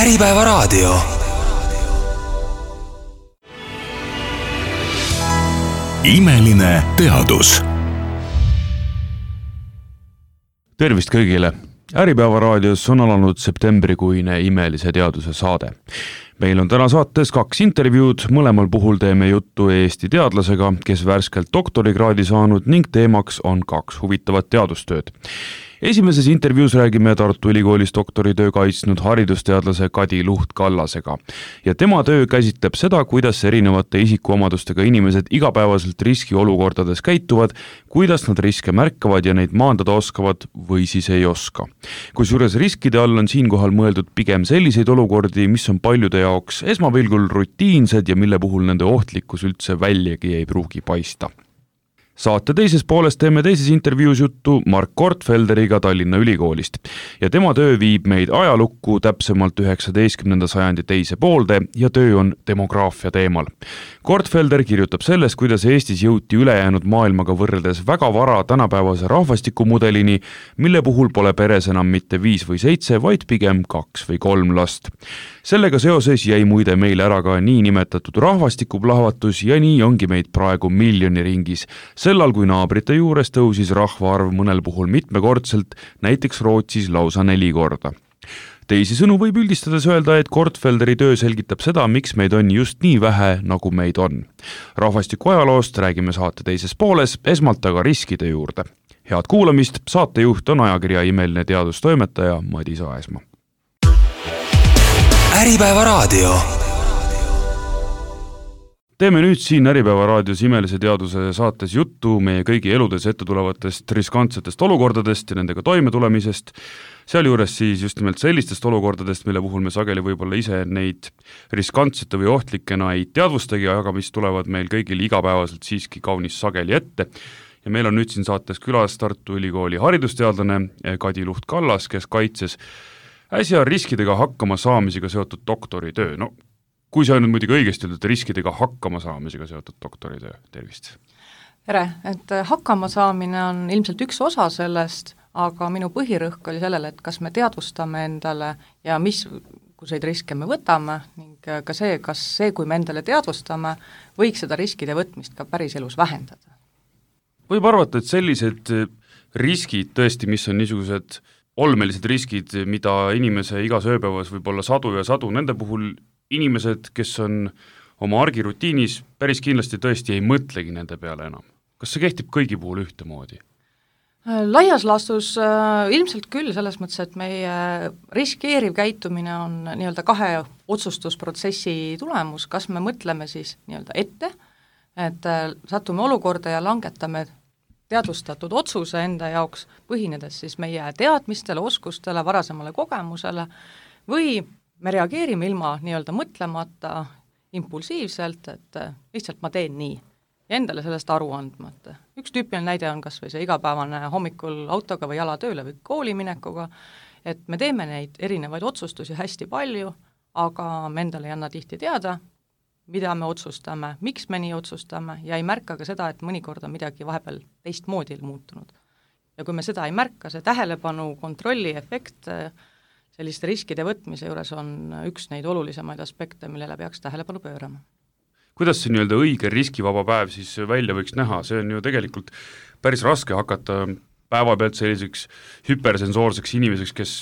Äripäevaraadio. Imeline teadus. Tervist kõigile! Äripäevaraadios on alanud septembrikuine Imelise teaduse saade. Meil on täna saates 2 intervjuud, mõlemal puhul teeme juttu Eesti teadlasega, kes värskelt doktorikraadi saanud ning teemaks on 2 huvitavat teadustööd. Esimeses intervjuus räägime Tartu Ülikoolis doktoritöö kaitsnud haridusteadlase Kadi Luht-Kallasega ja tema töö käsitleb seda, kuidas erinevate isikuomadustega inimesed igapäevaselt riskiolukordades käituvad, kuidas nad riske märkavad ja neid maandada oskavad või siis ei oska. Kusjuures riskide all on siinkohal mõeldud pigem selliseid olukordi, mis on paljude jaoks esmapilgul rutiinsed ja mille puhul nende ohtlikkus üldse väljagi ei pruugi paista. Saate teises pooles teeme teises intervjuus juttu Mark Gortfelderiga Tallinna Ülikoolist ja tema töö viib meid ajalukku täpsemalt 19. sajandi teise poolde ja töö on demograafia teemal. Gortfelder kirjutab sellest, kuidas Eestis jõuti ülejäänud maailmaga võrreldes väga vara tänapäevase rahvastikumudelini, mille puhul pole peres enam mitte 5 või 7, vaid pigem 2 või 3 last. Sellega seoses jäi muide meil ära ka nii nimetatud rahvastikuplahvatus ja nii ongi meid praegu miljoni ringis. Sellal, kui naabrite juures tõusis rahvaarv mõnel puhul mitmekordselt, näiteks Rootsis lausa 4 korda. Teisisõnu võib üldistades öelda, et Gortfelderi töö selgitab seda, miks meid on just nii vähe, nagu meid on. Rahvastiku ajaloost räägime saate teises pooles, esmalt aga riskide juurde. Head kuulamist, saatejuht on ajakirja Imeline teadustoimetaja Madis Aesmaa. Äripäevaraadio. Teeme nüüd siin Äripäevaraadios Imelise teaduse saates juttu meie kõigi eludes ette tulevatest riskantsetest olukordadest ja nendega toimetulemisest, sealjuures siis just nimelt sellistest olukordadest, mille puhul me sageli võib-olla ise neid riskantsete või ohtlikena ei teadvustagi, aga mis tulevad meil kõigil igapäevaselt siiski kaunis sageli ette. Ja meil on nüüd siin saates külas Tartu Ülikooli haridusteadlane Kadi Luht-Kallas, kes kaitses äsja riskidega hakkama saamisega seotud doktoritöö. No, kui sa nüüd muidugi õigesti ütled, riskidega hakkama saamisega seotud doktoritöö, tervist. Tere, et hakkama saamine on ilmselt üks osa sellest, aga minu põhirõhk oli sellele, et kas me teadvustame endale ja missuguseid riske me võtame ning ka see, kas see, kui me endale teadvustame, võiks seda riskide võtmist ka päris elus vähendada. Võib arvata, et sellised riskid tõesti, mis on niisugused olmelised riskid, mida inimese igas ööpäevas võib olla sadu ja sadu, nende puhul inimesed, kes on oma argirutiinis, päris kindlasti tõesti ei mõtlegi nende peale enam. Kas see kehtib kõigi puhul ühtemoodi? Laias laastus ilmselt küll selles mõttes, et meie riskeeriv käitumine on nii-öelda 2 otsustusprotsessi tulemus, kas me mõtleme siis nii-öelda ette, et satume olukorda ja langetame teadvustatud otsuse enda jaoks, põhinedes siis meie teadmistele, oskustele, varasemale kogemusele või me reageerime ilma nii-öelda mõtlemata, impulsiivselt, et lihtsalt ma teen nii ja endale sellest aru andmata. Üks tüüpiline näide on kas või see igapäevane hommikul autoga või jala tööle või kooli minekuga, et me teeme neid erinevaid otsustusi hästi palju, aga me endale ei anna tihti teada, mida me otsustame, miks me nii otsustame ja ei märka ka seda, et mõnikord on midagi vahepeal teistmoodi muutunud. Ja kui me seda ei märka, see tähelepanu kontrolli efekt selliste riskide võtmise juures on üks neid olulisemaid aspekte, millele peaks tähelepanu pöörama. Kuidas see nii-öelda õige riskivaba päev siis välja võiks näha? See on ju tegelikult päris raske hakata päeva pealt selliseks hüpersensoorseks inimeseks, kes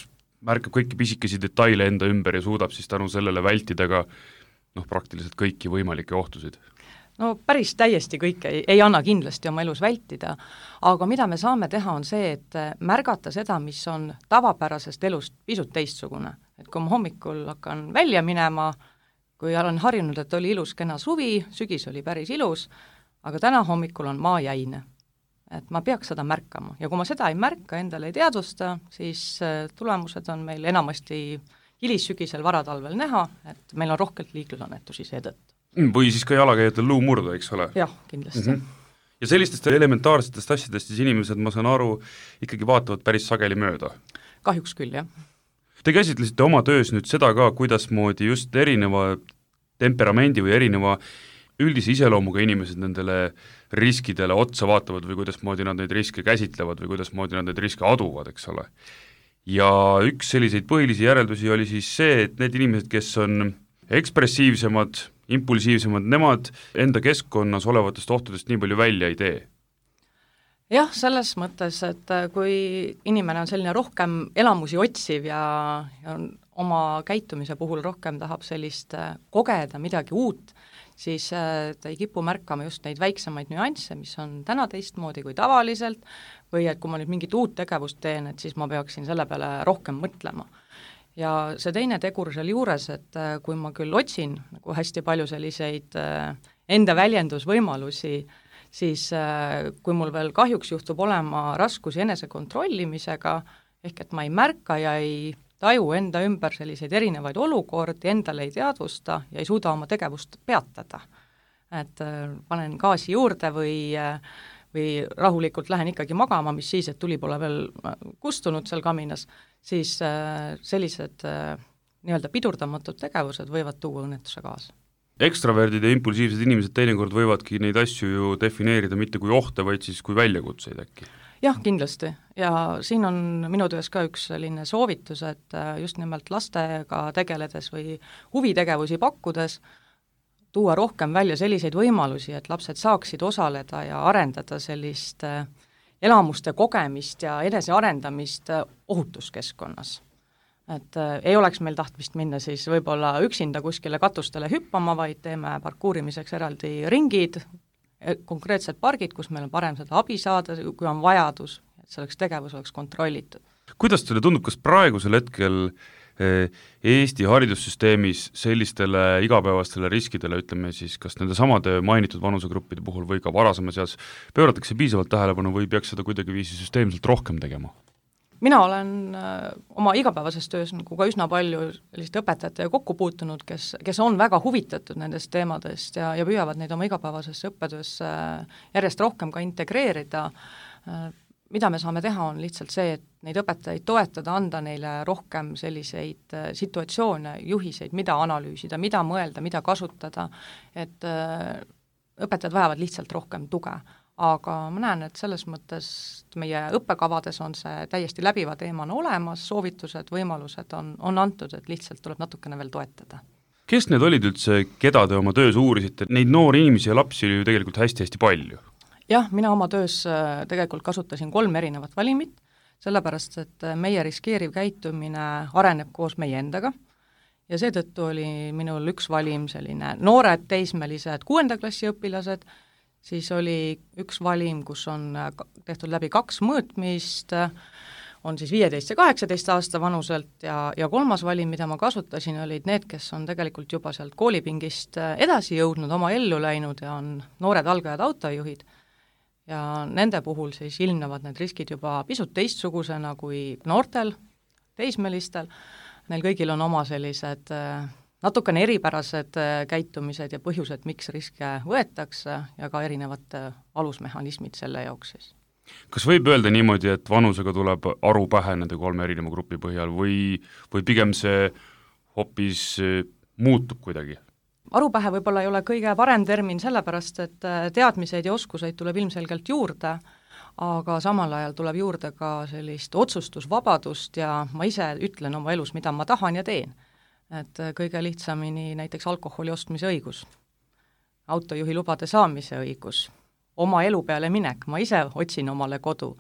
märkab kõiki pisikesi detaile enda ümber ja suudab siis tänu sellele vältida ka praktiliselt kõiki võimalikke ohtusid. No päris täiesti kõike ei anna kindlasti oma elus vältida, aga mida me saame teha on see, et märgata seda, mis on tavapärasest elust pisut teistsugune. Et kui ma hommikul hakkan välja minema, kui olen harjunud, et oli ilus kena suvi, sügis oli päris ilus, aga täna hommikul on maa jäine. Et ma peaks seda märkama ja kui ma seda ei märka, endale ei teadvusta, siis tulemused on meil enamasti hilissügisel varatalvel näha, et meil on rohkelt liiklusõnnetusi seetõttu. Või siis ka jalakäijatel luu murda, eks ole? Jah, kindlasti. Ja sellistest elementaarsetest asjadest siis inimesed, ma saan aru, ikkagi vaatavad päris sageli mööda? Kahjuks küll, jah. Te käsitlesite oma töös nüüd seda ka, kuidasmoodi just erineva temperamendi või erineva üldise iseloomuga inimesed nendele riskidele otsa vaatavad või kuidasmoodi nad neid riske käsitlevad või kuidasmoodi nad neid riske aduvad, eks ole. ja üks selliseid põhilisi järeldusi oli siis see, et need inimesed, kes on ekspressiivsemad, impulsiivsemad, nemad enda keskkonnas olevatest ohtudest nii palju välja ei tee. Jah, selles mõttes, et kui inimene on selline rohkem elamusi otsiv ja on oma käitumise puhul rohkem tahab sellist kogeda midagi uut, siis ta ei kipu märkama just neid väiksemaid nüansse, mis on täna teistmoodi kui tavaliselt, või et kui ma nüüd mingit uut tegevust teen, et siis ma peaksin selle peale rohkem mõtlema. Ja see teine tegur seal juures, et kui ma küll otsin nagu hästi palju selliseid enda väljendusvõimalusi, siis kui mul veel kahjuks juhtub olema raskusi enesekontrollimisega, ehk et ma ei märka ja ei taju enda ümber selliseid erinevaid olukordi, endale ei teadvusta ja ei suuda oma tegevust peatada. Et panen gaasi juurde või rahulikult lähen ikkagi magama, mis siis, et tuli pole veel kustunud seal kaminas, siis sellised nii-öelda pidurdamatud tegevused võivad tuua õnnetuse kaasa. Ekstraverdid ja impulsiivsed inimesed teinekord võivadki neid asju ju defineerida mitte kui ohte, vaid siis kui väljakutseid äkki. Jah, kindlasti. Ja siin on minu töös ka üks selline soovitus, et just nimelt lastega tegeledes või huvitegevusi pakkudes tuua rohkem välja selliseid võimalusi, et lapsed saaksid osaleda ja arendada sellist elamuste kogemist ja enesearendamist ohutuskeskkonnas. Et ei oleks meil tahtmist minna siis võib-olla üksinda kuskile katustele hüppama, vaid teeme parkuurimiseks eraldi ringid, konkreetsed pargid, kus meil on parem seda abi saada, kui on vajadus, et selleks tegevus oleks kontrollitud. Kuidas teile tundub, kas praegusel hetkel Eesti haridussüsteemis sellistele igapäevastele riskidele, ütleme siis, kas nende samade mainitud vanusegruppide puhul või ka varasema seas pööratakse piisavalt tähelepanu või peaks seda kuidagi viisi süsteemselt rohkem tegema? Mina olen oma igapäevases töös nagu ka üsna palju selliste õpetajatega kokku puutunud, kes on väga huvitatud nendest teemadest ja püüavad neid oma igapäevasesse õppetöösse järjest rohkem ka integreerida. Mida me saame teha, on lihtsalt see, et neid õpetajaid toetada, anda neile rohkem selliseid situatsioone, juhiseid, mida analüüsida, mida mõelda, mida kasutada, et õpetajad vajavad lihtsalt rohkem tuge. Aga ma näen, et selles mõttes meie õppekavades on see täiesti läbiva teemana olemas, soovitused, võimalused on antud, et lihtsalt tuleb natukene veel toetada. Kes need olid üldse, keda te oma töös uurisite? Neid noori inimesi ja lapsi oli ju tegelikult hästi-hästi palju. Jah, mina oma töös tegelikult kasutasin 3 erinevat valimit, sellepärast, et meie riskeeriv käitumine areneb koos meie endaga ja seetõttu oli minul üks valim selline noored teismelised 6. klassi õpilased, siis oli üks valim, kus on tehtud läbi 2 mõõtmist, on siis 15 ja 18 aasta vanuselt ja 3. valim, mida ma kasutasin, olid need, kes on tegelikult juba sealt koolipingist edasi jõudnud, oma ellu läinud ja on noored algajad autojuhid. Ja nende puhul siis ilmnevad need riskid juba pisut teistsugusena kui noortel, teismelistel. Neil kõigil on oma sellised natukene eripärased käitumised ja põhjused, miks riske võetakse ja ka erinevad alusmehhanismid selle jaoks siis. Kas võib öelda niimoodi, et vanusega tuleb aru pähe nende 3 erineva grupi põhjal või pigem see hoopis muutub kuidagi? Arupähe võib-olla ei ole kõige parem termin sellepärast, et teadmiseid ja oskuseid tuleb ilmselgelt juurde, aga samal ajal tuleb juurde ka sellist otsustusvabadust ja ma ise ütlen oma elus, mida ma tahan ja teen. Et kõige lihtsamini näiteks alkoholi ostmise õigus, autojuhi lubade saamise õigus, oma elu peale minek, ma ise otsin omale kodu.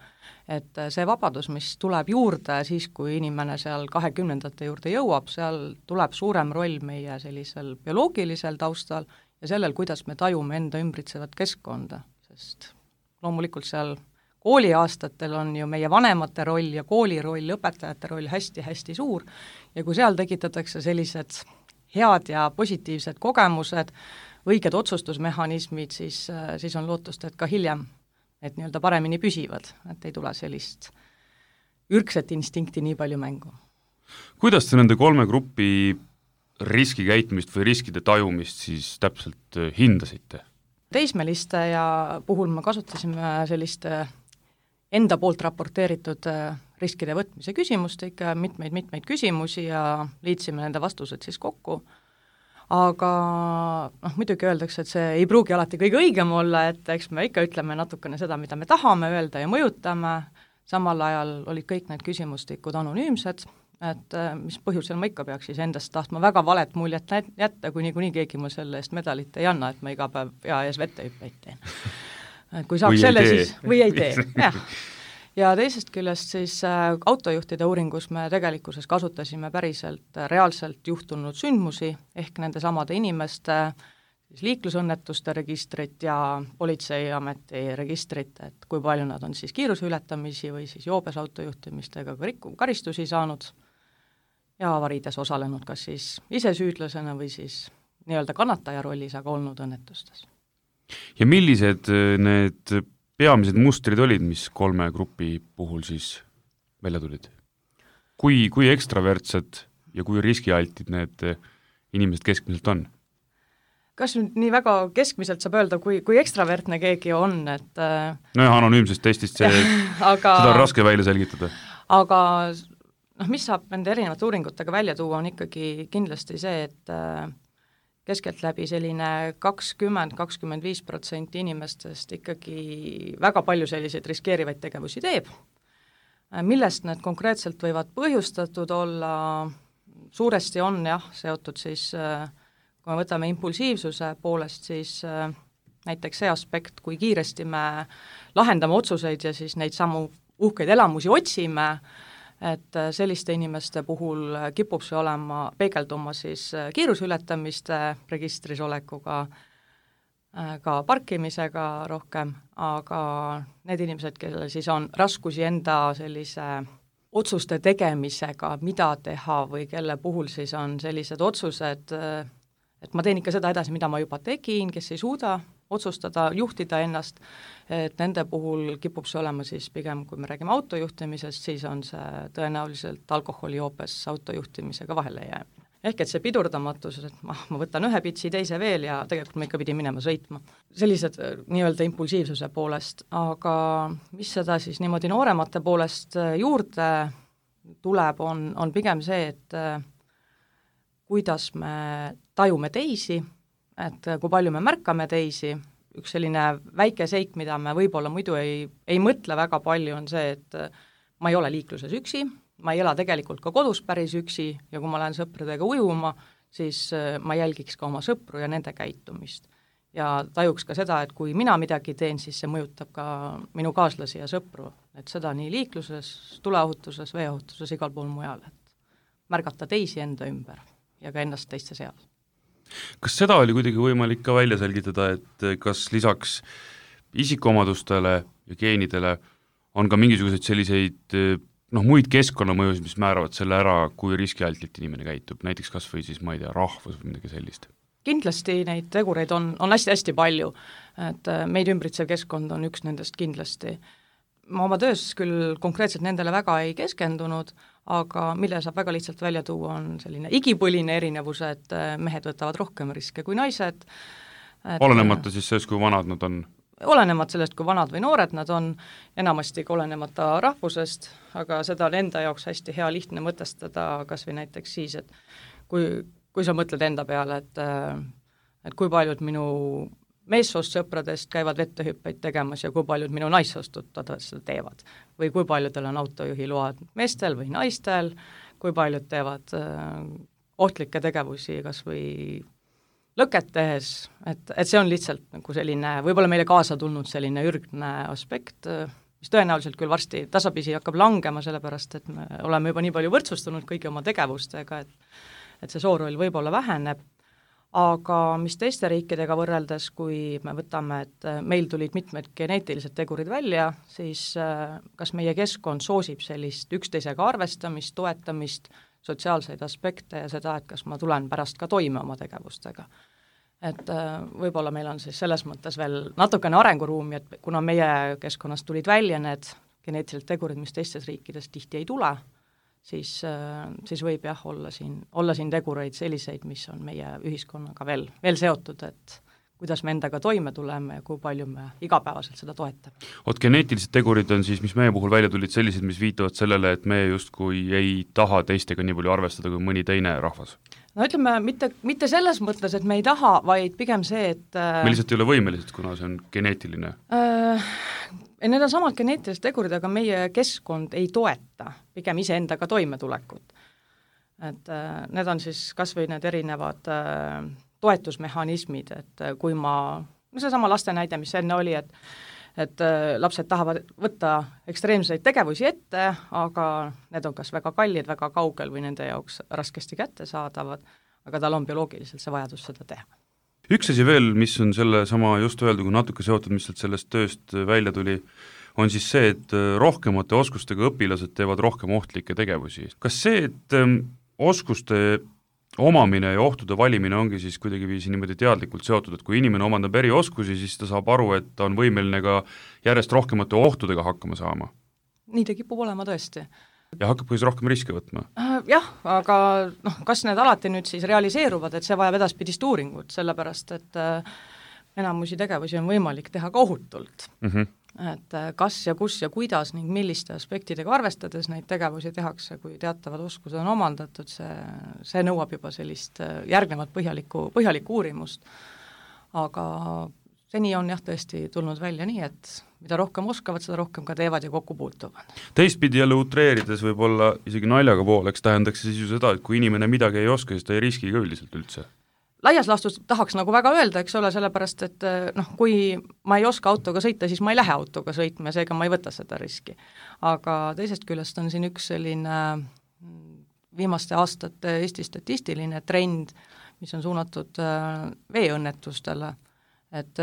Et see vabadus, mis tuleb juurde siis, kui inimene seal 20. juurde jõuab, seal tuleb suurem roll meie sellisel bioloogilisel taustal ja sellel, kuidas me tajume enda ümbritsevat keskkonda, sest loomulikult seal kooliaastatel on ju meie vanemate roll ja kooli roll, õpetajate roll hästi-hästi suur ja kui seal tekitatakse sellised head ja positiivsed kogemused, õiged otsustusmehhanismid, siis on lootust, et ka hiljem need nii-öelda paremini püsivad, et ei tule sellist ürgset instinkti nii palju mängu. Kuidas te nende 3 grupi riskikäitumist või riskide tajumist siis täpselt hindasite? Teismeliste ja puhul me kasutasime sellist enda poolt raporteeritud riskide võtmise küsimust, ikka mitmeid küsimusi ja liitsime nende vastused siis kokku. Aga muidugi öeldakse, et see ei pruugi alati kõige õigem olla, et eks me ikka ütleme natukene seda, mida me tahame öelda ja mõjutame, samal ajal olid kõik need küsimustikud anonüümsed, et mis põhjusel ma ikka peaks siis endast tahtma väga valet muljet jätta, kui niikuinii keegi mul selle eest medalit ei anna, et ma iga päev pea ees vettehüppeid teen. Kui saaks selle siis, või ei tee, jah. Ja teisest küljest siis autojuhtide uuringus me tegelikkuses kasutasime päriselt reaalselt juhtunud sündmusi, ehk nende samade inimeste siis liiklusõnnetuste registrit ja politseiameti registrit, et kui palju nad on siis kiiruse ületamisi või siis joobes autojuhtimistega karistusi saanud ja avariides osalenud kas siis ise süüdlasena või siis nii-öelda kannataja rollis, aga olnud õnnetustes. Ja millised need peamised mustrid olid, mis 3 grupi puhul siis välja tulid? Kui ekstravertsed ja kui riskialtid need inimesed keskmiselt on? Kas nüüd nii väga keskmiselt saab öelda, kui ekstravertne keegi on, et nojah, anonüümsest testist seda on raske välja selgitada. Aga mis saab nende erinevate uuringutega välja tuua, on ikkagi kindlasti see, et keskeltläbi selline 20-25% inimestest ikkagi väga palju selliseid riskeerivaid tegevusi teeb, millest need konkreetselt võivad põhjustatud olla, suuresti on jah, seotud siis kui me võtame impulsiivsuse poolest, siis näiteks see aspekt, kui kiiresti me lahendame otsuseid ja siis neid samu uhkeid elamusi otsime, et selliste inimeste puhul kipub see peegelduma siis kiiruseületamiste registris olekuga, ka parkimisega rohkem, aga need inimesed, kellel siis on raskusi enda sellise otsuste tegemisega, mida teha või kelle puhul siis on sellised otsused, et ma teen ikka seda edasi, mida ma juba tegin, kes ei suuda otsustada, juhtida ennast, et nende puhul kipub see olema siis pigem, kui me räägime autojuhtimisest, siis on see tõenäoliselt alkoholijoobes autojuhtimisega vahele jäämine. Ehk et see pidurdamatus, et ma võtan ühe pitsi, teise veel ja tegelikult ma ikka pidin minema sõitma. Sellised nii-öelda impulsiivsuse poolest, aga mis seda siis niimoodi nooremate poolest juurde tuleb, on pigem see, et kuidas me tajume teisi, et kui palju me märkame teisi, üks selline väike seik, mida me võib-olla muidu ei mõtle väga palju, on see, et ma ei ole liikluses üksi, ma ei ela tegelikult ka kodus päris üksi ja kui ma lähen sõpradega ujuma, siis ma jälgiks ka oma sõpru ja nende käitumist. Ja tajuks ka seda, et kui mina midagi teen, siis see mõjutab ka minu kaaslasi ja sõpru, et seda nii liikluses, tuleohutuses, veeohutuses, igal pool mujal, et märgata teisi enda ümber ja ka ennast teiste seas. Kas seda oli kuidagi võimalik ka välja selgitada, et kas lisaks isikuomadustele ja geenidele on ka mingisuguseid selliseid muid keskkonnamõjusid, mis määravad selle ära, kui riskialtilt inimene käitub, näiteks kas või siis, ma ei tea, rahvus või midagi sellist? Kindlasti neid tegureid on hästi-hästi palju, et meid ümbritsev keskkond on üks nendest kindlasti. Ma oma töös küll konkreetselt nendele väga ei keskendunud, aga mille saab väga lihtsalt välja tuua, on selline igipõline erinevus, et mehed võtavad rohkem riske kui naised. Olenemata siis sellest, kui vanad nad on? Olenemata sellest, kui vanad või noored nad on, enamasti ka olenemata rahvusest, aga seda on enda jaoks hästi hea lihtne mõtestada, kas või näiteks siis, et kui sa mõtled enda peale, et kui paljud minu meessoost sõpradest käivad vettehüppeid tegemas ja kui paljud minu naissoost tuttavad seda teevad. Või kui paljudel on autojuhiload meestel või naistel, kui paljud teevad ohtlikke tegevusi kas või lõket tehes, et see on lihtsalt nagu selline, võib-olla meile kaasa tulnud selline ürgne aspekt, mis tõenäoliselt küll varsti tasapisi hakkab langema, sellepärast et me oleme juba nii palju võrdsustunud kõigi oma tegevustega, et see sooroll võib-olla väheneb. Aga mis teiste riikidega võrreldes, kui me võtame, et meil tulid mitmed geneetilised tegurid välja, siis kas meie keskkond soosib sellist üksteisega arvestamist, toetamist, sotsiaalseid aspekte ja seda, et kas ma tulen pärast ka toime oma tegevustega. Et võib-olla meil on siis selles mõttes veel natukene arenguruumi, et kuna meie keskkonnast tulid välja need geneetilised tegurid, mis teistes riikides tihti ei tule, siis võib jah olla siin tegureid selliseid, mis on meie ühiskonnaga veel seotud, et kuidas me endaga toime tuleme ja kui palju me igapäevaselt seda toetame. Geneetilised tegurid on siis, mis meie puhul välja tulid sellised, mis viitavad sellele, et me justkui ei taha teistega nii palju arvestada kui mõni teine rahvas? No ütleme, mitte selles mõttes, et me ei taha, vaid pigem see, et me lihtsalt ei ole võimelised, kuna see on geneetiline? Need on samad geneetilised tegurid, aga meie keskkond ei toeta pigem iseendaga toimetulekut. Et need on siis kas või need erinevad toetusmehhanismid, et kui see sama laste näide, mis enne oli, et lapsed tahavad võtta ekstreemseid tegevusi ette, aga need on kas väga kallid, väga kaugel või nende jaoks raskesti kättesaadavad, aga tal on bioloogiliselt see vajadus seda teha. Üks asi veel, mis on selle sama just öeldu, kui natuke seotud, mis sellest tööst välja tuli, on siis see, et rohkemate oskustega õpilased teevad rohkem ohtlikke tegevusi. Kas see, et oskuste omamine ja ohtude valimine ongi siis kuidagi viisi niimoodi teadlikult seotud, et kui inimene omandab erioskusi, siis ta saab aru, et ta on võimeline ka järjest rohkemate ohtudega hakkama saama? Nii ta kipub olema tõesti. Ja hakkab siis rohkem riske võtma? Jah, aga kas need alati nüüd siis realiseeruvad, et see vajab edaspidist uuringut, sellepärast et enamusi tegevusi on võimalik teha ka ohutult. Et kas ja kus ja kuidas ning milliste aspektidega arvestades neid tegevusi tehakse, kui teatavad oskused on omandatud, see nõuab juba sellist järgnevat põhjalikku uurimust. Aga seni on jah tõesti tulnud välja nii, et mida rohkem oskavad, seda rohkem ka teevad ja kokku puutuvad. Teistpidi jälle utreerides võib-olla isegi naljaga pooleks tähendaks siis ju seda, et kui inimene midagi ei oska, siis ta ei riski ka üldiselt üldse. Laias laastus tahaks nagu väga öelda, eks ole, sellepärast, et kui ma ei oska autoga sõita, siis ma ei lähe autoga sõitma ja seega ma ei võta seda riski. Aga teisest küljest on siin üks selline viimaste aastate Eesti statistiline trend, mis on suunatud veeõnnetustele, et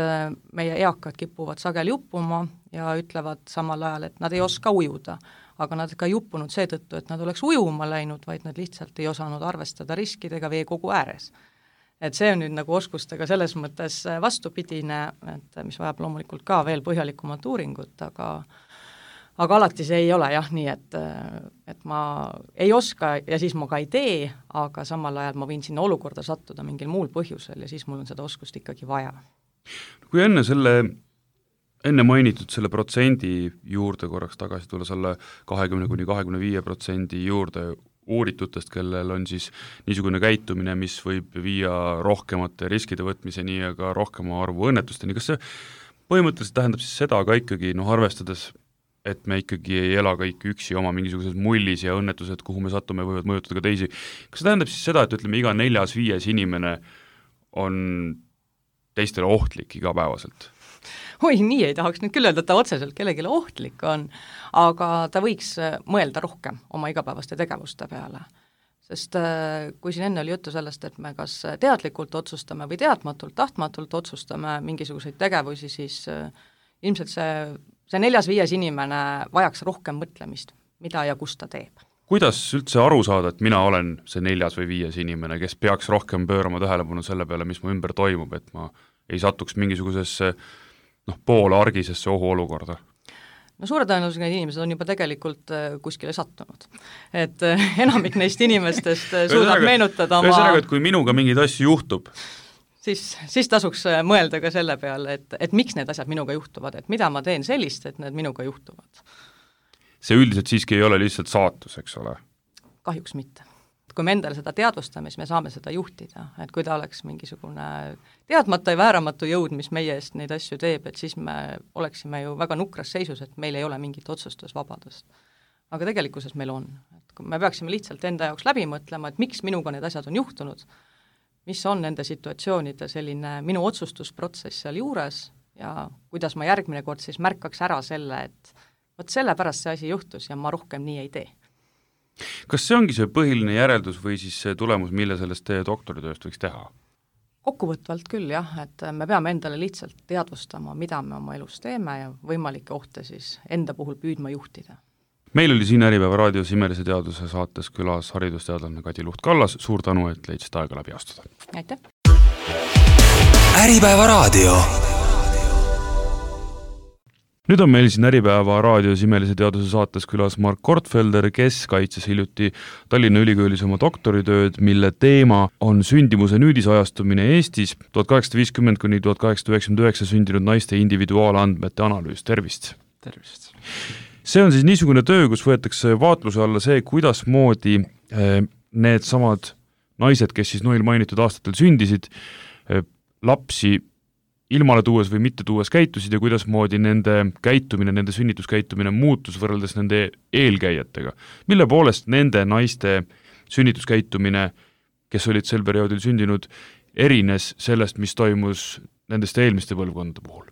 meie eakad kipuvad sageli uppuma ja ütlevad samal ajal, et nad ei oska ujuda, aga nad ka ei uppunud seetõttu, et nad oleks ujuma läinud, vaid nad lihtsalt ei osanud arvestada riskidega veekogu ääres. Et see on nüüd nagu oskustega selles mõttes vastupidine, et mis vajab loomulikult ka veel põhjalikumat uuringut, aga alati see ei ole jah nii, et ma ei oska ja siis ma ka ei tee, aga samal ajal ma võin sinna olukorda sattuda mingil muul põhjusel ja siis mul on seda oskust ikkagi vaja. Kui enne mainitud selle protsendi juurde korraks tagasi tulla selle 20–25% juurde uuritutest, kellel on siis niisugune käitumine, mis võib viia rohkemate riskide võtmiseni ja ka rohkema arvu õnnetusteni. Kas see põhimõtteliselt tähendab siis seda ka ikkagi, arvestades, et me ikkagi ei ela kõik üksi oma mingisuguses mullis ja õnnetused, kuhu me sattume, võivad mõjutada ka teisi. Kas see tähendab siis seda, et ütleme, iga 4–5 inimene on teistele ohtlik igapäevaselt? Nii ei tahaks nüüd küll öelda, et ta otseselt kellegile ohtlik on, aga ta võiks mõelda rohkem oma igapäevaste tegevuste peale. Sest kui siin enne oli juttu sellest, et me kas teadlikult otsustame või teadmatult, tahtmatult otsustame mingisuguseid tegevusi, siis ilmselt see 4–5 inimene vajaks rohkem mõtlemist, mida ja kus ta teeb. Kuidas üldse aru saada, et mina olen see 4 või 5 inimene, kes peaks rohkem pöörama tähelepanu selle peale, mis mu ümber toimub, et ma ei satuks mingisugusesse poole argisesse ohuolukorda? Suure tõenäosusega need inimesed on juba tegelikult kuskile sattunud. Et enamik neist inimestest suudab meenutada oma... Ühesõnaga, et kui minuga mingeid asju juhtub, siis tasuks mõelda ka selle peale, et miks need asjad minuga juhtuvad, et mida ma teen sellist, et need minuga juhtuvad. See üldiselt siiski ei ole lihtsalt saatus, eks ole? Kahjuks mitte. Kui me endale seda teadvustame, siis me saame seda juhtida, et kui ta oleks mingisugune teadmata ja vääramatu jõud, mis meie eest neid asju teeb, et siis me oleksime ju väga nukras seisus, et meil ei ole mingit otsustusvabadust. Aga tegelikkuses meil on. Et me peaksime lihtsalt enda jaoks läbi mõtlema, et miks minuga need asjad on juhtunud, mis on nende situatsioonide selline minu otsustusprotsess seal juures ja kuidas ma järgmine kord siis märkaks ära selle, et võt sellepärast see asi juhtus ja ma rohkem nii ei tee. Kas see ongi see põhiline järeldus või siis see tulemus, mille sellest teie doktoritööst võiks teha? Kokkuvõtvalt küll jah, et me peame endale lihtsalt teadvustama, mida me oma elus teeme ja võimalikke ohte siis enda puhul püüdma juhtida. Meil oli siin Äripäeva raadios Imelise teaduse saates külas haridusteadlane Kadi Luht-Kallas. Suur tänu, et leidsid aega läbi astuda. Aitäh! Äripäeva raadio. Nüüd on meil siin Äripäeva raadios Imelise teaduse saates külas Mark Kortfelder, kes kaitses hiljuti Tallinna Ülikoolis oma doktoritööd, mille teema on sündimuse nüüdisajastumine Eestis 1850–1899 sündinud naiste individuaalandmete analüüs. Tervist! Tervist! See on siis niisugune töö, kus võetakse vaatluse alla see, kuidas moodi need samad naised, kes siis noil mainitud aastatel sündisid, lapsi ilmale tuues või mitte tuues käitusid ja kuidas moodi nende käitumine, nende sünnituskäitumine muutus võrreldes nende eelkäijatega. Mille poolest nende naiste sünnituskäitumine, kes olid sel perioodil sündinud, erines sellest, mis toimus nendest eelmiste põlvkondade puhul?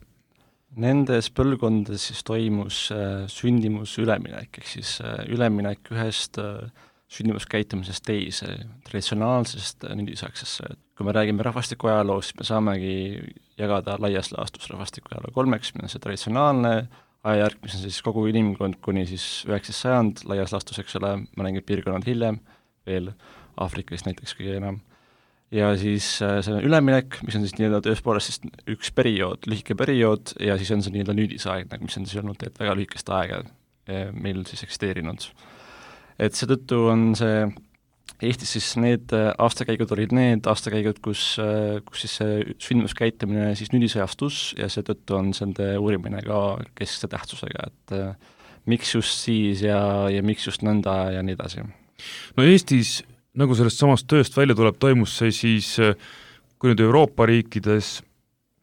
Nendes põlvkondades siis toimus sündimus üleminek, ehk siis üleminek ühest sündimuskäitumisest teise, traditsionaalsest nüüdisaegsesse. Kui me räägime rahvastiku ajaloost, siis me saamegi jagada laias laastus rahvastiku ajaloo kolmeks, mis on see traditsionaalne ajajärk, mis on siis kogu inimkond kuni siis 9. sajand laias laastus, eks ole, mõningad piirkonnad hiljem, veel Aafrikas näiteks kõige enam. Ja siis see üleminek, mis on siis nii-öelda tõepoolest siis üks periood, lühike periood, ja siis on see nii-öelda nüüdisaegne, mis on siis olnud väga lühikest aega meil siis eksisteerinud. Et seetõttu on see Eestis siis need aastakäigud olid need aastakäigud, kus siis see sündimuskäitumine siis nüüdisajastus ja seetõttu on see uurimine ka keskse tähtsusega, et miks just siis ja miks just nõnda ja nii edasi. No Eestis, nagu sellest samast tööst välja tuleb, toimus see siis, kui nüüd Euroopa riikides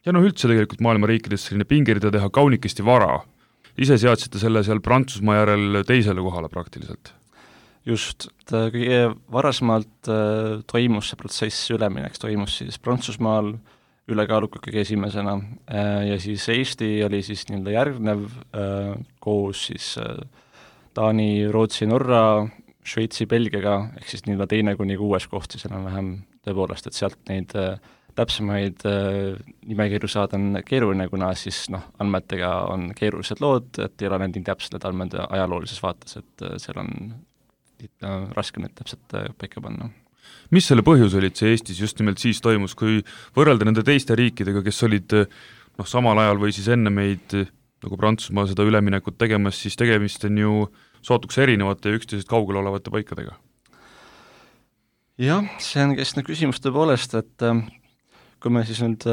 ja üldse tegelikult maailma riikides selline pingerida teha kaunikesti vara. Ise seadsite selle seal Prantsusmaa järel teisele kohale praktiliselt. Just, kõige varasemalt toimus see protsess ülemineks, toimus siis Prantsusmaal ülekaaluka kõige esimesena ja siis Eesti oli siis nii-öelda järgnev koos siis Taani, Rootsi, Norra, Šveitsi, Belgiaga, ehk siis nii-öelda teine kuni 6. koht siis enam-vähem tõepoolest, et sealt neid täpsemaid nimekirju saada on keeruline, kuna siis andmetega on keerulised lood, et ei ole need nii täpsed need andmed ajaloolises vaates, et seal on raske nüüd täpselt paika panna. Mis selle põhjus olid see Eestis just nimelt siis toimus, kui võrrelda nende teiste riikidega, kes olid samal ajal või siis enne meid nagu Prantsusmaa seda üleminekut tegemas, siis tegemist on ju sootuks erinevate ja üksteisest kaugel olevate paikadega? Jah, see on keskne küsimus tõepoolest, et kui me siis nüüd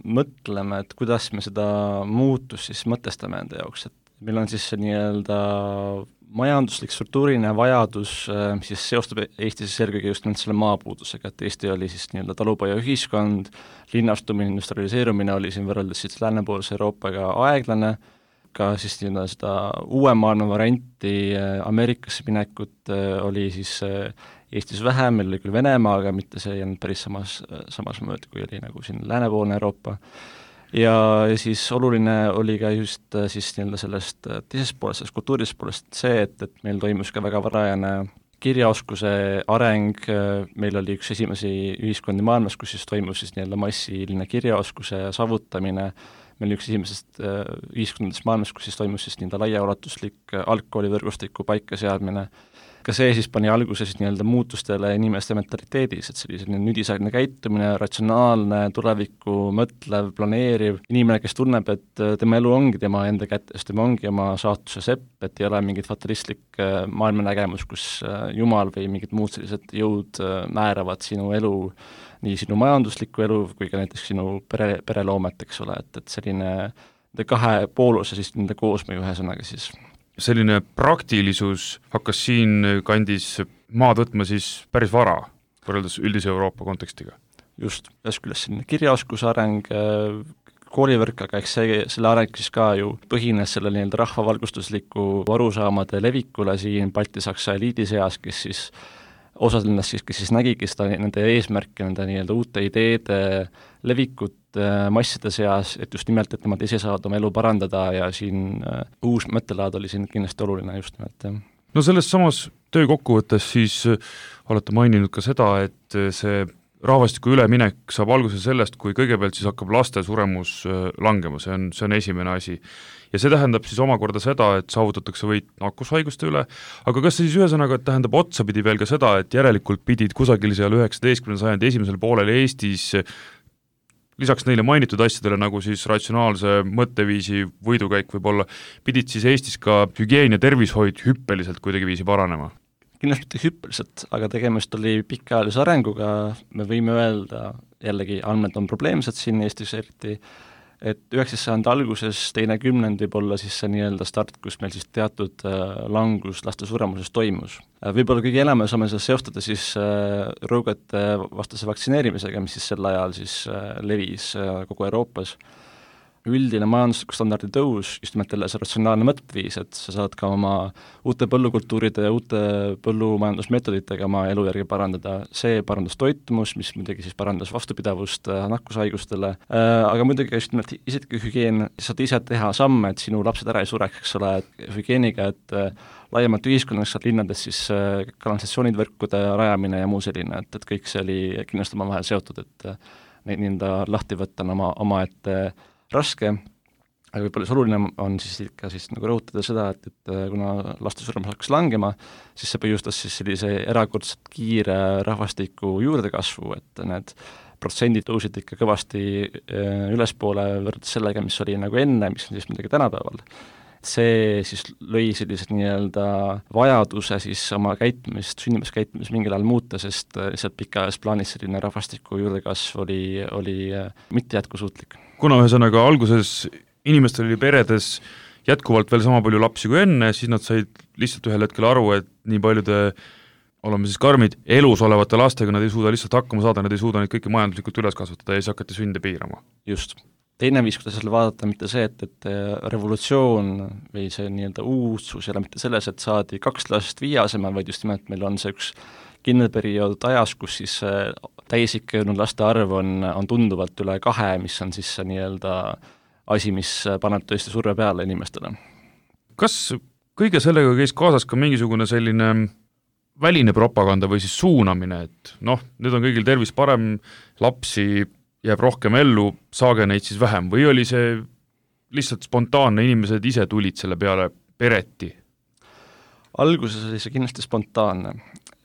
mõtleme, et kuidas me seda muutust siis mõtestame enda jaoks, et meil on siis see nii-öelda majanduslik struktuuriline vajadus, mis siis seostub Eestis eelkõige just selle maapuudusega, et Eesti oli siis nii-öelda talupoja ühiskond, linnastumine, industrialiseerumine oli siin võrreldes siis läänepoolse Euroopaga aeglane, ka siis nii-öelda seda uue maailma varianti Ameerikasse minekut oli siis Eestis vähem, meil oli küll Venemaa, aga mitte see ei olnud päris samas mööda, kui oli nagu siin läänepoolne Euroopa. Ja siis oluline oli ka just siis nii-öelda sellest teisest poolest, sellest kultuurisest poolest see, et meil toimus ka väga varajane kirjaoskuse areng, meil oli üks esimesi ühiskondi maailmas, kus siis toimus siis nii-öelda massiline kirjaoskuse saavutamine, meil oli üks esimesest ühiskondadest maailmas, kus siis toimus siis nii-öelda laiaulatuslik algkoolivõrgustiku paikaseadmine. Ka see siis pani alguse siis nii-öelda muutustele inimeste mentaliteedis, et selline nüüdisaegne käitumine, ratsionaalne, tulevikku mõtlev, planeeriv inimene, kes tunneb, et tema elu ongi tema enda kätes, tema ongi oma saatuse sepp, et ei ole mingit fatalistlik maailmanägemus, kus Jumal või mingid muud sellised jõud määravad sinu elu, nii sinu majanduslikku elu kui ka näiteks sinu pereloomet, eks ole, et selline kahe pooluse siis nende koosmõju ühesõnaga siis. Selline praktilisus hakkas siin kandis maad võtma siis päris vara, võrreldes üldise Euroopa kontekstiga. Just, ühest küljest selline kirjaoskuse areng, koolivõrk, aga eks selle areng siis ka ju põhines selle nii-öelda rahvavalgustusliku arusaamade levikule siin Balti-Saksa eliidi seas, kes siis osad ennast siis, kes siis nägigi seda nende eesmärke, nende nii-öelda uute ideede levikut masside seas, et just nimelt, et nemad ise saavad oma elu parandada ja siin uus mõttelaad oli siin kindlasti oluline just nimelt. No selles samas töö kokkuvõttes siis olete maininud ka seda, et see rahvastiku üleminek saab alguse sellest, kui kõigepealt siis hakkab laste suremus langema, see on esimene asi. Ja see tähendab siis omakorda seda, et saavutatakse võit nakkushaiguste üle, aga kas see siis ühesõnaga tähendab otsapidi veel ka seda, et järelikult pidid kusagil seal 19. sajandi esimesel poolel Eestis lisaks neile mainitud asjadele, nagu siis ratsionaalse mõtteviisi võidukäik võib-olla, pidid siis Eestis ka hügieen ja tervishoid hüppeliselt kuidagi viisi paranema? Kindlasti mitte hüppeliselt, aga tegemist oli pikaajalise arenguga, me võime öelda, jällegi andmed on probleemsed siin Eestis eriti, et 19. sajandi alguses, teine kümnend võib olla siis see nii-öelda start, kus meil siis teatud langus laste suremuses toimus. Võib-olla kõige enam me saame seda seostada siis rõugete vastase vaktsineerimisega, mis siis sel ajal siis levis kogu Euroopas. Üldine majandusliku standardi tõus, just nimelt jälle see ratsionaalne mõtteviis, et sa saad ka oma uute põllukultuuride ja uute põllumajandusmeetoditega oma elujärgi parandada, see parandas toitumus, mis muidugi siis parandas vastupidavust nakkushaigustele, aga muidugi just nimelt isiklik hügieen, saad ise teha samme, et sinu lapsed ära ei sureks, eks ole, hügieeniga, et laiemalt ühiskonnaks saad linnades siis kanalisatsioonid, võrkude rajamine ja muu selline, et kõik see oli kindlasti omavahel seotud, et neid nii-öelda lahti võtta on omaette raske, aga võib-olla see oluline on siis ikka siis nagu rõhutada seda, et kuna laste suremus hakkas langema, siis see põhjustas siis sellise erakordselt kiire rahvastiku juurdekasvu, et need protsendid tõusid ikka kõvasti ülespoole võrreldes sellega, mis oli nagu enne, mis on siis midagi tänapäeval. See siis lõi sellised nii-öelda vajaduse siis oma käitumist, sünnimuskäitumist mingil ajal muuta, sest lihtsalt pikaajas plaanis selline rahvastiku juurdekasv oli mitte jätkusuutlik. Kuna ühesõnaga alguses inimestel oli peredes jätkuvalt veel sama palju lapsi kui enne, siis nad said lihtsalt ühel hetkel aru, et nii paljude, oleme siis karmid, elus olevate lastega nad ei suuda lihtsalt hakkama saada, nad ei suuda neid kõiki majanduslikult üles kasvatada ja siis hakati sünde piirama. Just. Teine viis, kuidas selle vaadata, mitte see, et revolutsioon või see nii-öelda uudsus ei ole mitte selles, et saadi 2 last 5 asemel, vaid just nimelt meil on see üks kindel periood ajas, kus siis täisikka jõudnud laste arv on tunduvalt üle 2, mis on siis see nii-öelda asi, mis paneb tõesti surve peale inimestele. Kas kõige sellega käis kaasas ka mingisugune selline väline propaganda või siis suunamine, et noh, nüüd on kõigil tervis parem, lapsi jääb rohkem ellu, saage neid siis vähem, või oli see lihtsalt spontaanne, inimesed ise tulid selle peale pereti? Alguses oli see kindlasti spontaanne,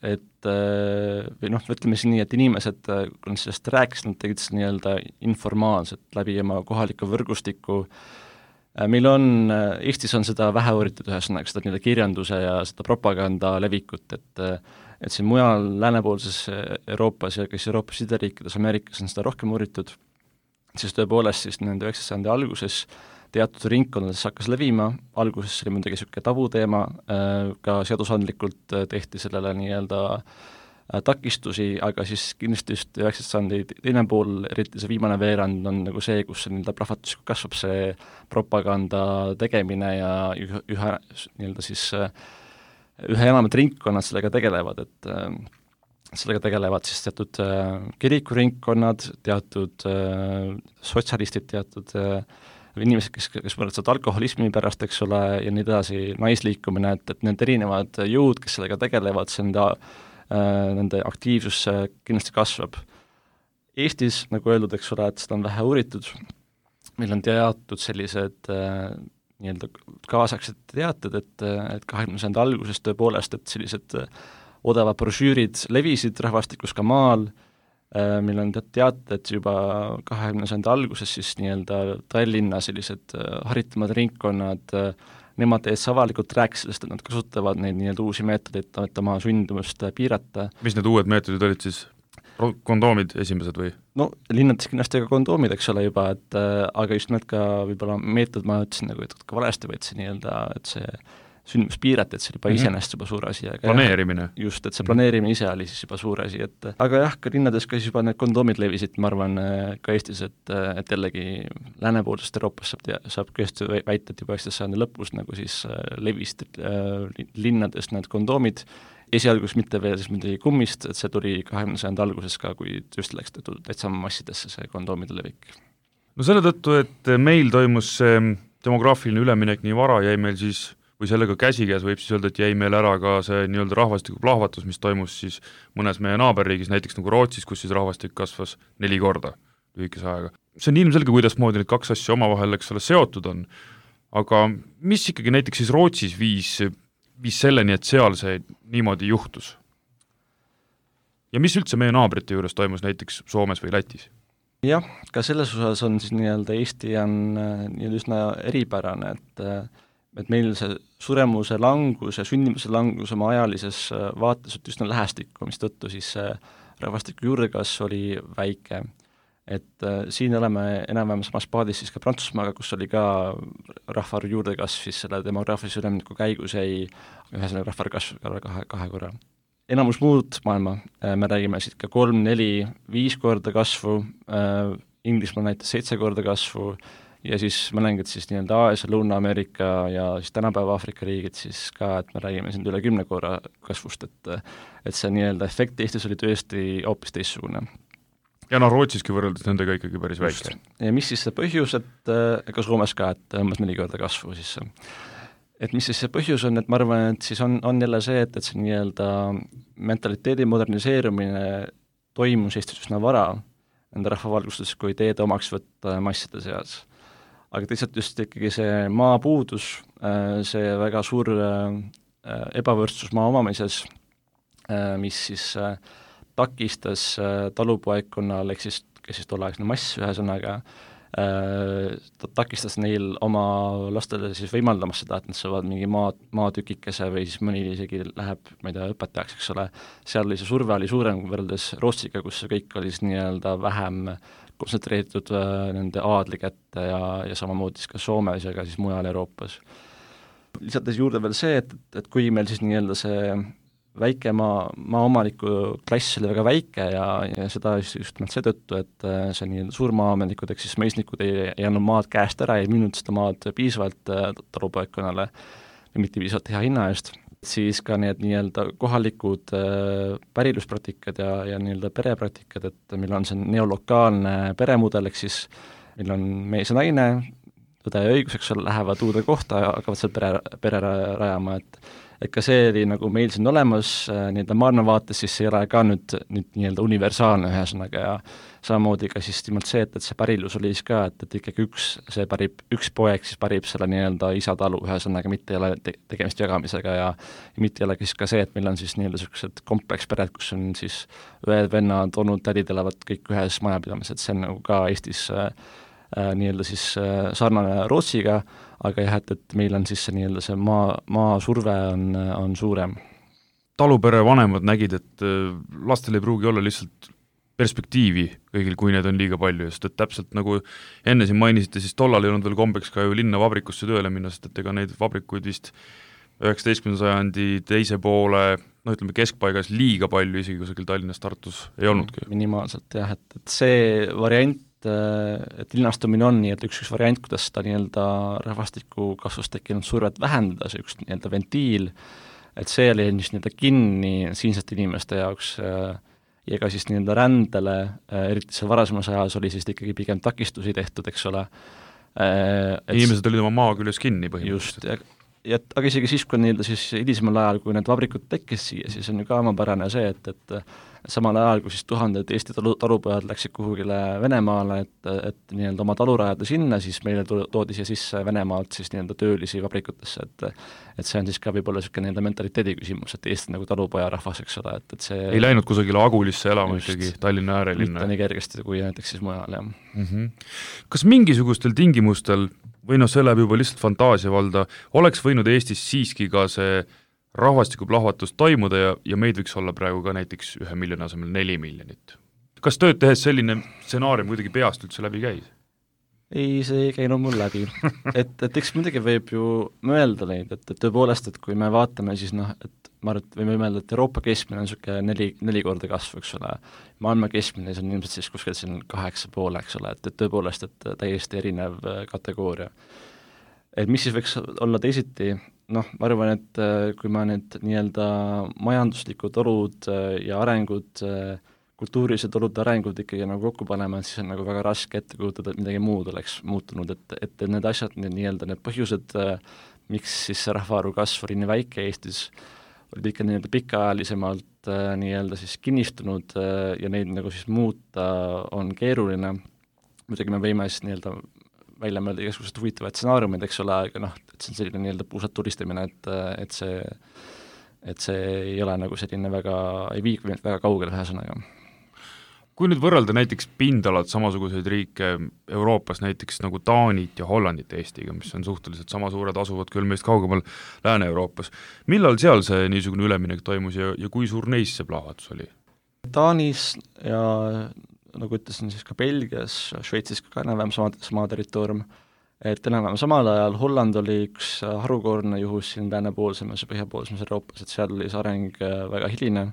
et või noh, ütleme siis nii, et inimesed, kui nad sellest rääkisid, nad tegid seda nii-öelda informaalselt läbi oma kohaliku võrgustiku. Meil on, Eestis on seda vähe uuritud ühesõnaga, seda nii-öelda kirjanduse ja seda propaganda levikut, et siin mujal läänepoolses Euroopas ja kes Euroopas sideriikides, Ameerikas on seda rohkem uuritud, siis tõepoolest siis nende 19. sajandi alguses teatud ringkondades hakkas levima, alguses oli muidugi niisugune tabuteema, ka seadusandlikult tehti sellele nii-öelda takistusi, aga siis kindlasti just 19. sajandi teine pool, eriti see viimane veerand on nagu see, kus see nii-öelda plahvatuslikult kasvab see propaganda tegemine ja üha nii-öelda siis ühe enamad ringkonnad sellega tegelevad, et sellega tegelevad siis teatud kirikuringkonnad, teatud sotsialistid, teatud inimesed, kes mõtlevad alkoholismi pärast, eks ole, ja nii edasi, naisliikumine, et need erinevad jõud, kes sellega tegelevad, see nende aktiivsus kindlasti kasvab. Eestis, nagu öeldud, eks ole, et seda on vähe uuritud, meil on teatud sellised nii-öelda kaasaksed teated, et 20. sajandi alguses tõepoolest, et sellised odavad brošüürid levisid rahvastikus ka maal, meil on teated juba 20. sajandi alguses siis nii-öelda Tallinna sellised haritumad ringkonnad, nemad täiesti avalikult rääkisid sellest, et nad kasutavad neid nii-öelda uusi meetodeid, et oma sündimust piirata. Mis need uued meetodid olid siis? Kondoomid esimesed või? No linnades kindlasti ka kondoomid, eks ole juba, et aga just nimelt ka võib-olla meetod, ma ütlesin nagu, et ka valesti võid see nii-öelda, et see sündimus piirati, et see oli juba iseenesest juba suur asi. Planeerimine. Just, et see planeerimine ise oli siis juba suur asi, et aga jah, ka linnades ka siis juba need kondoomid levisid, ma arvan, ka Eestis, et jällegi läänepoolsest Euroopas saab kõesti väita, et juba 19. sajandi lõpus nagu siis levisid linnades need kondoomid, esialgus mitte veel siis midagi kummist, et see tuli 20. sajandi alguses ka, kui just läks täitsa massidesse see kondoomide levik. No selle tõttu, et meil toimus see demograafiline üleminek nii vara, jäi meil siis või sellega käsikäes võib siis öelda, et jäi meil ära ka see nii-öelda rahvastiku plahvatus, mis toimus siis mõnes meie naaberriigis, näiteks nagu Rootsis, kus siis rahvastik kasvas 4 korda lühikese ajaga. See on ilmselge, kuidas moodi need 2 asja omavahel, eks ole, seotud on, aga mis ikkagi näiteks siis Rootsis viis selleni, et seal see niimoodi juhtus? Ja mis üldse meie naabrite juures toimus näiteks Soomes või Lätis? Jah, ka selles osas on siis nii-öelda Eesti on nii-öelda üsna eripärane, et meil see suremuse langus ja sündimuse langus oma ajalises vaates üsna lähestikku, mis tõttu siis rahvastiku juurdekasv oli väike. et siin oleme enam-vähem samas paadis siis ka Prantsusmaaga, kus oli ka rahvaarvu juurdekasv, siis selle demograafilise ülemineku käigus jäi ühesõnaga rahvaarvu kasv kahe korra. Enamus muud maailma, me räägime siit ka 3, 4, 5 korda kasvu, Inglismaal näitas 7 korda kasvu ja siis mõningad siis nii-öelda Aasia, Lõuna-Ameerika ja siis tänapäeva Aafrika riigid siis ka, et me räägime siin üle 10 korra kasvust, et see nii-öelda efekt Eestis oli tõesti hoopis teistsugune. Ja Rootsiski võrreldes nendega ikkagi päris väike. Ja mis siis see põhjus, et ega Soomes ka, et umbes 4 korda kasvu siis. Et mis siis see põhjus on, et ma arvan, et siis on jälle see, et see nii-öelda mentaliteedi moderniseerumine toimus Eestis üsna vara nende rahvavalgustes, kui teede omaks võtta masside seas. Aga teisalt just ikkagi see maapuudus, see väga suur ebavõrdsus maa omamises, mis siis takistas talupoegkonnal, ehk siis, kes siis tolleaegne mass ühesõnaga, takistas neil oma lastele siis võimaldamas seda, et nad saavad mingi maatükikese või siis mõni isegi läheb, ma ei tea, õpetajaks, eks ole, seal oli see surve oli suurem võrreldes Rootsiga, kus see kõik oli siis nii-öelda vähem kontsentreeritud nende aadli kätte ja samamoodi siis ka Soomes ja ka siis mujal Euroopas. Lisates juurde veel see, et kui meil siis nii-öelda see väike maaomaniku klass oli väga väike ja seda just seetõttu, et see nii suurmaaomanikud, ehk siis mõisnikud ei andnud maad käest ära, ei müünud seda maad piisavalt talupoegkonnale ja mitte piisavalt hea hinna eest, siis ka need nii-öelda kohalikud päriluspraktikad ja nii-öelda perepraktikad, et meil on see neolokaalne peremudel, ehk siis meil on mees ja naine, tõde ja õigus, eks ole, lähevad uude kohta ja hakkavad seal pere rajama, et ka see oli nagu meil siin olemas nii-öelda maailmavaates, siis ei ole ka nüüd nii-öelda universaalne ühesõnaga ja samamoodi ka siis nimelt see, et see pärilus oli siis ka, et ikkagi üks poeg siis pärib selle nii-öelda isa talu ühesõnaga, mitte ei ole tegemist jagamisega ja mitte ei ole siis ka see, et meil on siis nii-öelda sellised komplekspered, kus on siis õed, vennad, onud, tädid elavad kõik ühes majapidamises, et see on nagu ka Eestis nii-öelda siis sarnane Rootsiga, aga jah, et meil on siis see nii-öelda see maa surve on suurem. Talupere vanemad nägid, et lastel ei pruugi olla lihtsalt perspektiivi kõigil, kui need on liiga palju, sest et täpselt nagu enne siin mainisite, siis tollal ei olnud veel kombeks ka ju linna vabrikusse tööle minna, sest et ega neid vabrikuid vist 19. sajandi teise poole, ütleme keskpaigas liiga palju, isegi kusagil Tallinnas, Tartus ei olnudki. Minimaalselt jah, et see variant, et linnastumine on nii, et üks variant, kuidas seda nii-öelda rahvastiku kasvust tekkinud survet vähendada, see üks nii-öelda ventiil, et see oli nii-öelda kinni siinsete inimeste jaoks ja ka siis nii-öelda rändele, eriti see varasemas ajas oli siis ikkagi pigem takistusi tehtud, eks ole. Inimesed olid oma maa küljes kinni põhimõtteliselt. Just, aga isegi siis, kui nii-öelda siis hilisemal ajal, kui need vabrikud tekkis siia, siis on ju ka omapärane see, et samal ajal, kui siis tuhanded Eesti talupojad läksid kuhugile Venemaale, et nii-öelda oma talu rajada sinna, siis meile toodi siia sisse Venemaalt siis nii-öelda töölisi vabrikutesse, et see on siis ka võib-olla niisugune nii-öelda mentaliteedi küsimus, et Eesti nagu talupoja rahvas, eks ole, et see ei läinud kusagile Agulisse elama just, ikkagi Tallinna äärelinna. Mitte nii kergesti kui näiteks siis mujal, jah. Kas mingisugustel tingimustel või see läheb juba lihtsalt fantaasia valda, oleks võinud Eestis siiski ka see rahvastikuplahvatus toimuda ja meid võiks olla praegu ka näiteks 1 miljoni asemel 4 miljonit. Kas tööd tehes selline stsenaarium kuidagi peast üldse läbi käis? Ei, see ei käinud mul läbi. et eks muidugi võib ju mõelda neid, et tõepoolest, et kui me vaatame, siis et ma arvan, et võime mõelda, et Euroopa keskmine on niisugune 4 korda kasv, eks ole. Maailma keskmine on ilmselt siis kuskil 8,5, eks ole, et tõepoolest, et täiesti erinev kategooria. Et mis siis võiks olla teisiti, ma arvan, et kui ma need nii-öelda majanduslikud olud ja arengud, kultuurilised olud arengud ikkagi nagu kokku panema, siis on nagu väga raske ette kujutada, et midagi muud oleks muutunud, et need asjad, nii-öelda need põhjused, miks siis see rahvaarvu kasv oli nii väike Eestis, olid ikka nii-öelda pikaajalisemalt nii-öelda siis kinnistunud ja neid nagu siis muuta on keeruline. Muidugi me võime siis nii-öelda välja mõelda igasugused huvitavad stsenaariumid, eks ole, aga et see on selline nii-öelda puusad tulistamine, et see ei ole nagu selline väga, ei vii väga kaugele ühesõnaga. Kui nüüd võrrelda näiteks pindalad samasuguseid riike Euroopas, näiteks nagu Taanit ja Hollandit Eestiga, mis on suhteliselt sama suured, asuvad küll meist kaugemal Lääne-Euroopas, millal seal see niisugune üleminek toimus ja kui suur neis see plahvatus oli? Taanis ja nagu ütlesin, siis ka Belgias, Šveitsis ka enam-vähem sama territoorium, et enam-vähem samal ajal Holland oli üks harukordne juhus siin läänepoolsemas ja põhjapoolsemas Euroopas, et seal oli see areng väga hiline,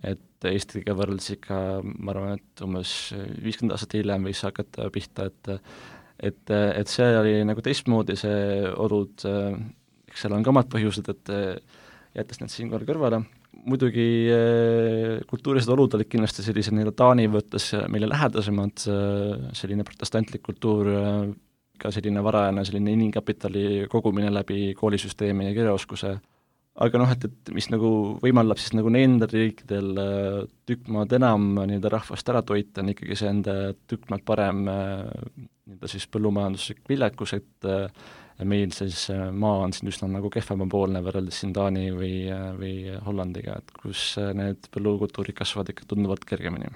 et Eestiga võrreldes ikka, ma arvan, et umbes 50 aastat hiljem võis hakata pihta, et see oli nagu teistmoodi, see olud, eks seal on ka omad põhjused, et jättes need siinkohal kõrvale. Muidugi kultuurised olud olid kindlasti sellise Taani võttes meile lähedasemad, selline protestantlik kultuur, ka selline varajane selline inimkapitali kogumine läbi koolisüsteemi ja kirjaoskuse, aga et mis nagu võimaldab siis nagu nendel riikidel tükk maad enam rahvast ära toita, on ikkagi see enda tükk maad parem siis põllumajanduslik viljakus, et meil siis maa on siin üsna nagu kehvemapoolne võrreldes siin Taani või Hollandiga, et kus need põllukultuurid kasvavad ikka tunduvalt kergemini.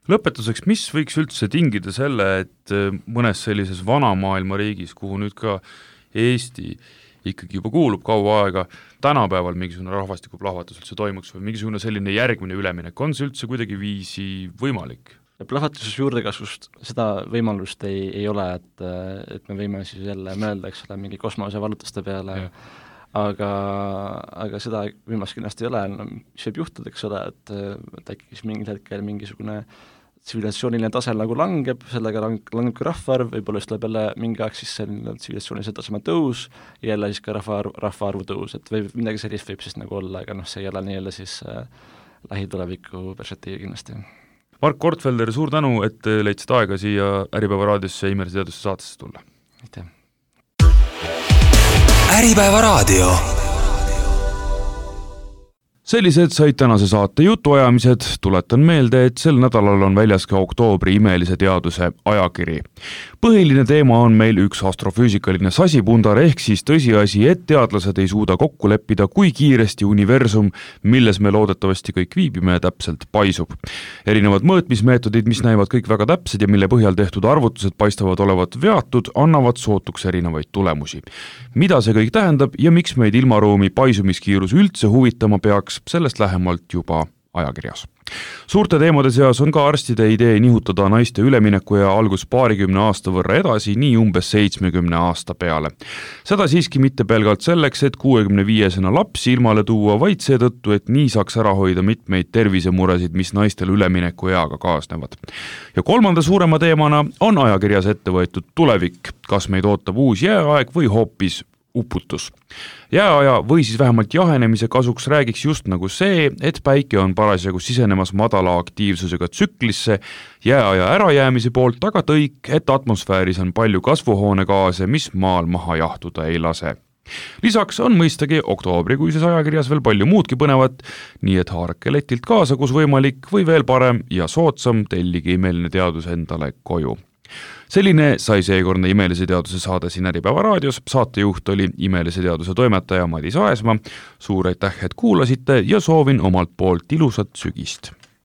Lõpetuseks, mis võiks üldse tingida selle, et mõnes sellises vanamaailma riigis, kuhu nüüd ka Eesti ikkagi juba kuulub kaua aega, tänapäeval mingisugune rahvastikuplahvatus üldse toimuks või mingisugune selline järgmine üleminek, on see üldse kuidagi viisi võimalik? Plahvatuses juurdekasvust seda võimalust ei ole, et me võime siis jälle mõelda, eks ole, mingi kosmosevallutuste peale, aga seda võimalust kindlasti ei ole, mis võib juhtuda, eks ole, et äkki siis mingil hetkel mingisugune tsivilisatsiooniline tase nagu langeb, sellega langeb ka rahvaarv, võib-olla siis tuleb jälle mingi aeg siis selline tsivilisatsioonilise taseme tõus ja jälle siis ka rahvaarvu tõus, et või midagi sellist võib siis nagu olla, aga see ei ole nii-öelda siis lähituleviku perspektiivi kindlasti. Mark Kortfelder, suur tänu, et leidsid aega siia Äripäeva raadiosse Imelise teaduse saatesse tulla. Aitäh! Äripäeva raadio. Sellised said tänase saate jutuajamised, tuletan meelde, et sel nädalal on väljas ka oktoobri Imelise teaduse ajakiri. Põhiline teema on meil üks astrofüüsikaline sasipundar ehk siis tõsiasi, et teadlased ei suuda kokku leppida, kui kiiresti universum, milles me loodetavasti kõik viibime, täpselt paisub. Erinevad mõõtmismeetodid, mis näivad kõik väga täpsed ja mille põhjal tehtud arvutused paistavad olevat veatud, annavad sootuks erinevaid tulemusi. Mida see kõik tähendab ja miks meid ilmaruumi paisumiskiirus üldse huvitama peaks, sellest lähemalt juba ajakirjas. Suurte teemade seas on ka arstide idee nihutada naiste ülemineku ja algus 20 aasta võrra edasi, nii umbes 70 aasta peale. Seda siiski mitte pelgalt selleks, et 65-sena lapsi ilmale tuua, vaid seetõttu, et nii saaks ära hoida mitmeid tervisemuresid, mis naistel ülemineku eaga kaasnevad. Ja kolmanda suurema teemana on ajakirjas ette võetud tulevik, kas meid ootab uus jääaeg või hoopis uputus. Jääaja või siis vähemalt jahenemise kasuks räägiks just nagu see, et päike on parasjagu sisenemas madala aktiivsusega tsüklisse, jääaja ärajäämise poolt aga tõik, et atmosfääris on palju kasvuhoonegaase, mis maal maha jahtuda ei lase. Lisaks on mõistagi oktoobrikuises ajakirjas veel palju muudki põnevat, nii et haarake letilt kaasa, kus võimalik või veel parem ja soodsam tellige Imeline teadus endale koju. Selline sai seekordne Imelise teaduse saade siin Äripäeva raadios, saatejuht oli Imelise teaduse toimetaja Madis Aesma. Suur aitäh, et kuulasite ja soovin omalt poolt ilusat sügist!